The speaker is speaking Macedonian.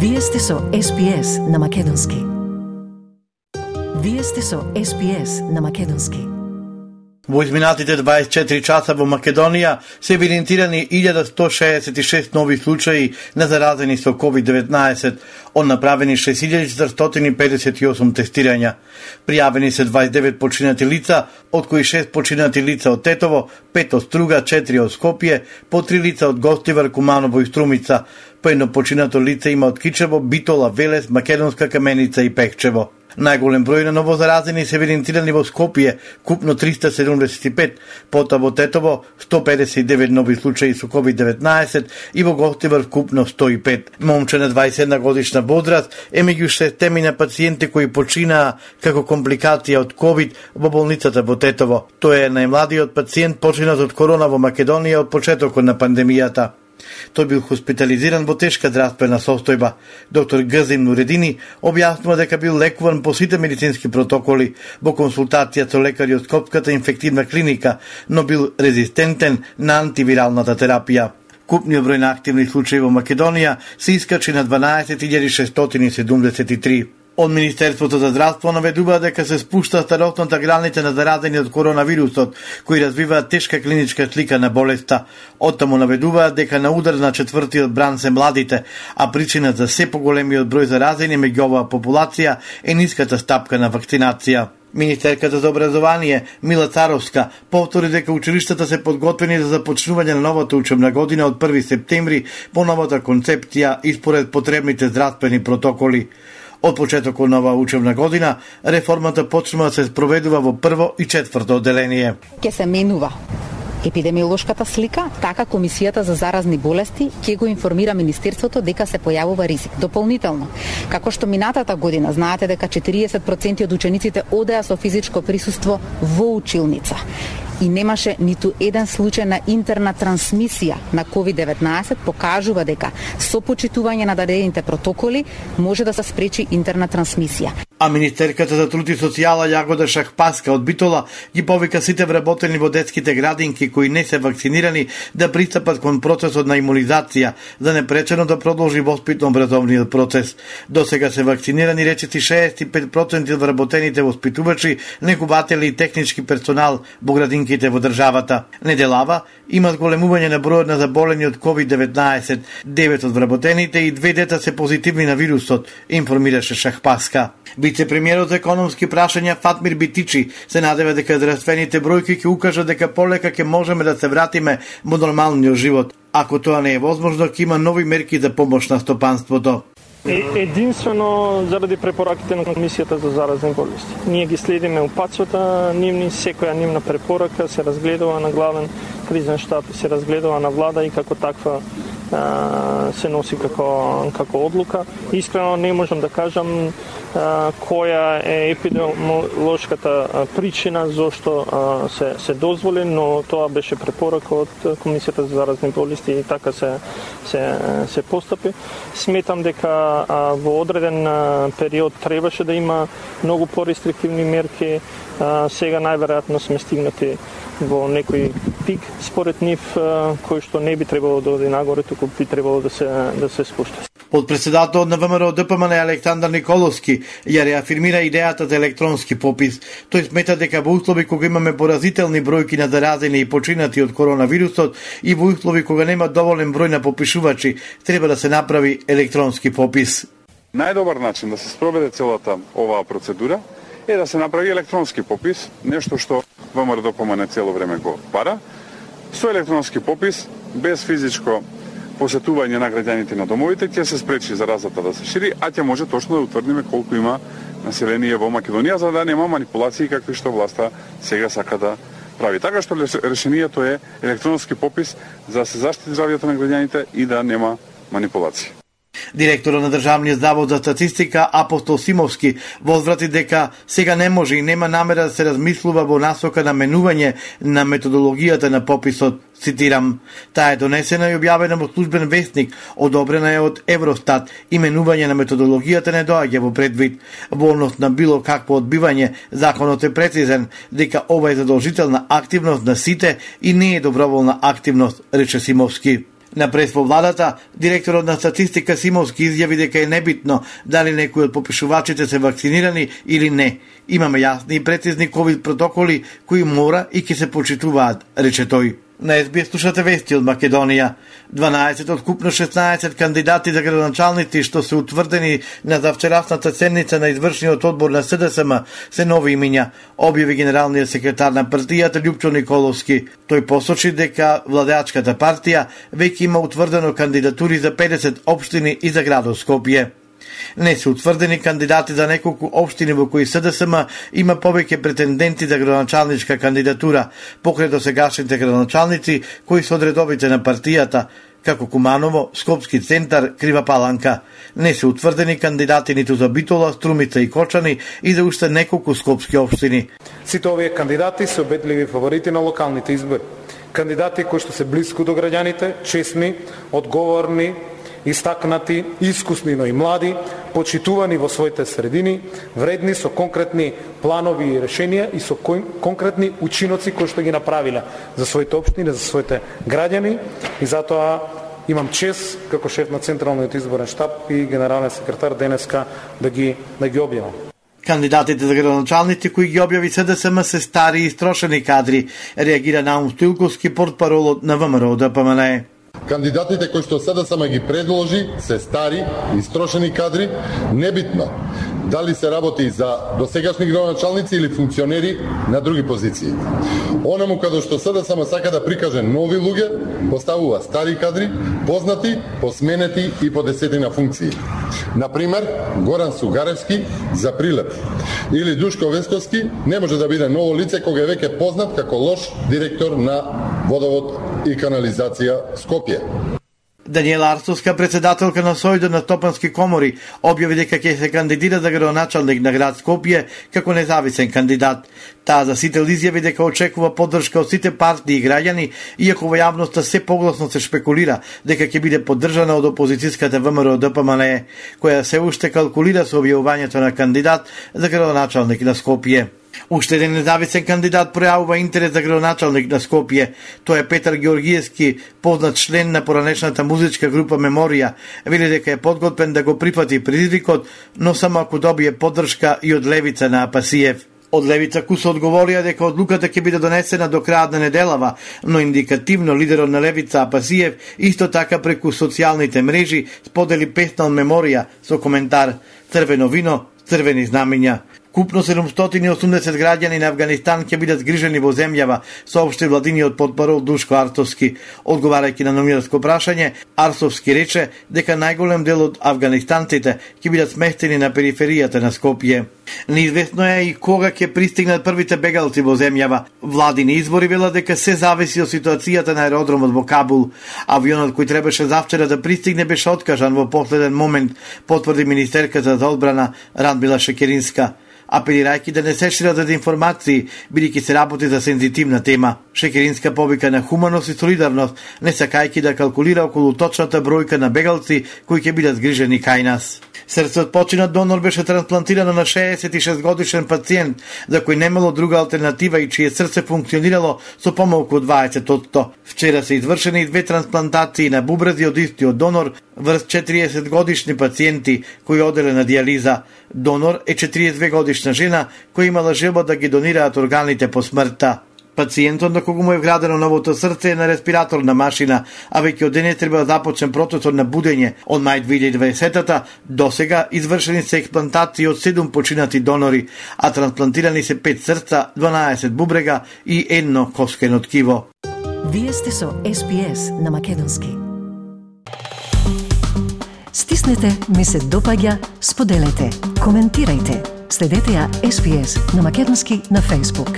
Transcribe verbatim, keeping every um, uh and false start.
Вие сте со Ес Би Ес на Македонски. Вие сте со Ес Би Ес на Македонски. Во изминатите дваесет и четири часа во Македонија се евидентирани илјада сто шеесет и шест нови случаи на заразени со ковид деветнаесет, од направени шест илјади четиристотини педесет и осум тестирања. Пријавени се дваесет и девет починати лица, од кои шест починати лица од Тетово, пет од Струга, четири од Скопје, по три лица од Гостивар, Куманово и Струмица. По едно починато лице има од Кичево, Битола, Велес, Македонска Каменица и Пехчево. Најголем број на новозаразени се евидентирани во Скопје, купно триста седумдесет и пет, потоа во Тетово сто педесет и девет нови случаи со ковид деветнаесет и во Гостивар купно сто и пет. Момче на дваесет и една годишна возраст е меѓу шестемина пациенти кои починаа како компликација од ковид во болницата во Тетово. Тој е најмладиот пациент починат од корона во Македонија од почетокот на пандемијата. Тој бил хоспитализиран во тешка здравствена состојба. Доктор Гзим Нуредини објаснува дека бил лекуван по сите медицински протоколи во консултација со лекари од Скопската инфективна клиника, но бил резистентен на антивиралната терапија. Купниот број на активни случаи во Македонија се искачи на дванаесет илјади шестстотини седумдесет и три. Од Министерството за здравство наведува дека се спушта старосната граница на заразени од коронавирусот, кои развиваат тешка клиничка слика на болеста. Оттаму наведуваат дека на удар на четвртиот бран се младите, а причина за се поголемиот број заразени меѓу оваа популација е ниската стапка на вакцинација. Министерката за образование Мила Царовска повтори дека училиштата се подготвени за започнување на новата учебна година од први септември по новата концепција и според потребните здравствени протоколи. Од почетокот на оваа учебна година, реформата почнува да се спроведува во прво и четврто одделение. Ке се менува епидемиолошката слика, така Комисијата за заразни болести ќе го информира Министерството дека се појавува ризик. Дополнително, како што минатата година знаете дека четириесет проценти од учениците одеа со физичко присуство во училница и немаше ниту еден случај на интерна трансмисија на ковид деветнаесет, покажува дека со почитување на дадените протоколи може да се спречи интерна трансмисија. А министерката за труд и социјала Јагода Шахпаска од Битола ги повика сите вработени во детските градинки кои не се вакцинирани да пристапат кон процесот на имунизација, за непречено да продолжи воспитно-образовниот процес. До сега се вакцинирани речиси шеесет и пет проценти од вработените воспитувачи, негователи и технички персонал во градинките во државата. Неделава има зголемување на бројот на заболени од ковид деветнаесет, девет од вработените и две дета се позитивни на вирусот, информираше Шахпаска. Вице-премиерот за економски прашања Фатмир Битичи се надева дека здравствените бројки ќе укажат дека полека ќе можеме да се вратиме во нормалниот живот. Ако тоа не е возможно, ќе има нови мерки за помош на стопанството. Единствено заради препораките на Комисијата за заразни болести. Ние ги следиме упатствата нивни, секоја нивна препорака се разгледува на главен кризен штаб, се разгледува на влада и како таква се носи како како одлука. Искрено не можам да кажам која е епидемиолошката причина зошто се се дозволи, но тоа беше препорака од Комисијата за заразни болести и така се се се постапи. Сметам дека во одреден период требаше да има многу порестриктивни мерки. Сега најверојатно сме стигнати во некој пик според нив кој што не би требало да оди нагоре, туку би требало да се да се спушти. Подпредседател на ВМРО Д П М Н Александар Николовски ја реафирмира идејата за електронски попис. Тој смета дека во услови кога имаме поразителни бројки на заразени и починати од коронавирусот и во услови кога нема доволен број на попишувачи, треба да се направи електронски попис. Најдобар начин да се спроведе целата оваа процедура е да се направи електронски попис, нешто што ВМРО Д П М Н цело време го бара. Со електронски попис, без физичко посетување на граѓаните на домовите, ќе се спречи заразата да се шири, а ќе може точно да утврдиме колку има население во Македонија, за да нема манипулации какви што власта сега сака да прави. Така што решението е електронски попис за да се заштити здравјето на граѓаните и да нема манипулации. Директорот на Државниот завод за статистика Апостол Симовски возврати дека сега не може и нема намера да се размислува во насока на менување на методологијата на пописот. Цитирам, таа е донесена и објавена во службен вестник, одобрена е од Евростат и менување на методологијата не доаѓа во предвид. Во однос на било какво одбивање, законот е прецизен дека ова е задолжителна активност на сите и не е доброволна активност, рече Симовски. На прес во владата, директорот на статистика Симовски изјави дека е небитно дали некои од попишувачите се вакцинирани или не. Имаме јасни и прецизни ковид протоколи кои мора и ќе се почитуваат, рече тој. На Ес Би Ес слушате вести од Македонија. дванаесет од купно шеснаесет кандидати за градоначалници што се утврдени на завчерасната седница на извршниот одбор на Се Де Ес Ем се нови имиња, објави генералниот секретар на партијата Љупчо Николовски. Тој посочи дека владеачката партија веќе има утврдено кандидатури за педесет општини и за градот Скопје. Не се утврдени кандидати за неколку општини во кои Се Де Ес Ем има повеќе претенденти за градоначалничка кандидатура, покрај досегашните градоначалници кои се од редовите на партијата, како Куманово, Скопски центар, Крива Паланка. Не се утврдени кандидати ниту за Битола, Струмица и Кочани и за уште неколку скопски општини. Сите овие кандидати се обедливи фаворити на локалните избори. Кандидати кои што се блиску до граѓаните, честни, одговорни, истакнати, искусни, но и млади, почитувани во своите средини, вредни со конкретни планови и решенија и со конкретни учиноци кои што ги направиле за своите општини, за своите граѓани, и затоа имам чест како шеф на Централниот изборен штаб и генерален секретар денеска да ги да ги објавам. Кандидатите за градоначалници кои ги објави Се Де Ес Ем се стари и истрошени кадри, реагира Наум Стоилковски, портпаролот на Вэ Ем Р О Д П М Н Е. Кандидатите кои што Се Де Ес Ем ги предложи се стари, истрошени кадри, небитно дали се работи за досегашни градоначалници или функционери на други позиции. Онаму каде што Се Де Ес Ем сака да прикаже нови луѓе, поставува стари кадри, познати, посменети и по десетина функции. Например, Горан Сугаревски за Прилеп или Душко Весковски не може да биде ново лице кога е веќе познат како лош директор на Водовод и канализација Скопје. Даниела Арцовска, председателка на Сојдот на Стопански комори, објави дека ќе се кандидира за градоначалник на град Скопје како независен кандидат. Таа за сите изјави дека очекува поддршка од сите партии и граѓани, иако во јавноста се погласно се шпекулира дека ќе биде поддржана од опозицијската Вэ Ем Р О Д П М Н Е, која се уште калкулира со објавувањето на кандидат за градоначалник на Скопје. Уште еден независен кандидат пројавува интерес за градоначалник на Скопје. Тој е Петар Георгиевски, познат член на поранешната музичка група Меморија. Вели дека е подготвен да го прифати предизвикот, но само ако добие поддршка и од левица на Апасиев. Од левица Куса одговорија дека одлуката ќе биде донесена до крајот на неделава, но индикативно лидерот на левица Апасиев исто така преку социјалните мрежи сподели песна од Меморија со коментар "Црвено вино, црвени знамиња". Купно седумстотини и осумдесет граѓани на Авганистан ќе бидат згрижени во земјава, соопшти владиниот портпарол Душко Арцовски. Одговарајќи на новинарско прашање, Арцовски рече дека најголем дел од афганистанците ќе бидат сместени на периферијата на Скопје. Неизвестно е и кога ќе пристигнат првите бегалци во земјава. Владини извори велат дека се зависи од ситуацијата на аеродромот во Кабул. Авионот кој требаше завчера да пристигне беше откажан во последен момент, потврди министерката за одбрана Радмила Шекеринска, апелирајќи да не се шират дезинформации, бидејќи се работи за сензитивна тема. Шекеринска повика на хуманост и солидарност, не сакајќи да калкулира околу точната бројка на бегалци кои ќе бидат згрижени кај нас. Срце од починат донор беше трансплантирано на шеесет и шест годишен пациент, за кој немало друга алтернатива и чие срце функционирало со помалку од дваесет одсто. Вчера се извршени и две трансплантации на бубрези од истиот донор врз четириесет годишни пациенти кои оделе на диализа. Донор е четириесет две годишна жена која имала желба да ги донираат органите по смртта. Пациентот на кого му е вградено новото срце е на респираторна машина, а веќе од денес треба да започне процесот на будење. Од мај две илјади и дваесета до сега извршени се експлантации од седум починати донори, а трансплантирани се пет срца, дванаесет бубрега и едно коскено ткиво. Вие сте со Ес Би Ес на македонски. Стиснете, ми се допаѓа, споделете, коментирајте. Следете ја Ес Би Ес на македонски на Facebook.